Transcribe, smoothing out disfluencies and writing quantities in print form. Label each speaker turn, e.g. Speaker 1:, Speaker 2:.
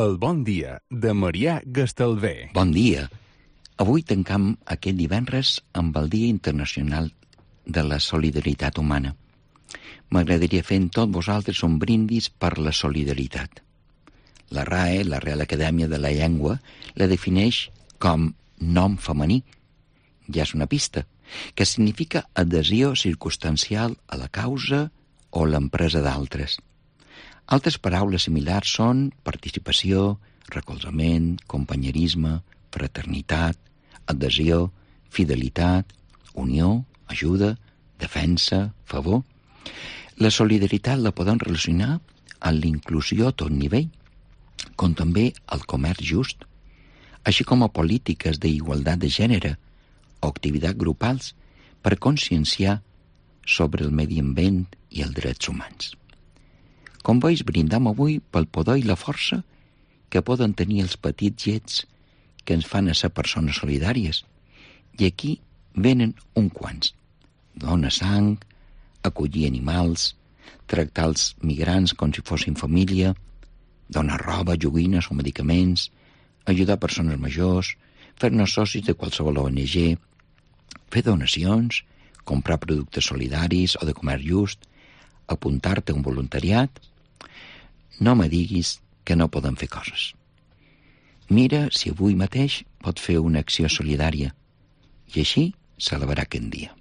Speaker 1: El bon dia de Marià Gastalver.
Speaker 2: Bon dia. Avui tancam aquest divendres amb el Dia Internacional de la Solidaritat Humana. M'agradaria fer amb tots vosaltres un brindis per la solidaritat. La RAE, la Real Acadèmia de la Llengua, la defineix com nom femení. Ja és una pista, que significa adhesió circumstancial a la causa o l'empresa d'altres. Altres paraules similars són participació, recolzament, companyerisme, fraternitat, adhesió, fidelitat, unió, ajuda, defensa, favor. La solidaritat la podem relacionar amb l'inclusió a tot nivell, com també al comerç just, així com a polítiques d'igualtat de gènere o activitats grupals per conscienciar sobre el medi ambient i els drets humans. Com veus, brindam avui pel poder i la força que poden tenir els petits gets que ens fan a ser persones solidàries. I aquí venen un quants. Donar sang, acollir animals, tractar els migrants com si fossin família, donar roba, joguines o medicaments, ajudar persones majors, fer-nos socis de qualsevol ONG, fer donacions, comprar productes solidaris o de comerç just, apuntar-te a un voluntariat. No me diguis que no podem fer coses. Mira si avui mateix pot fer una acció solidària i així celebrar aquest dia.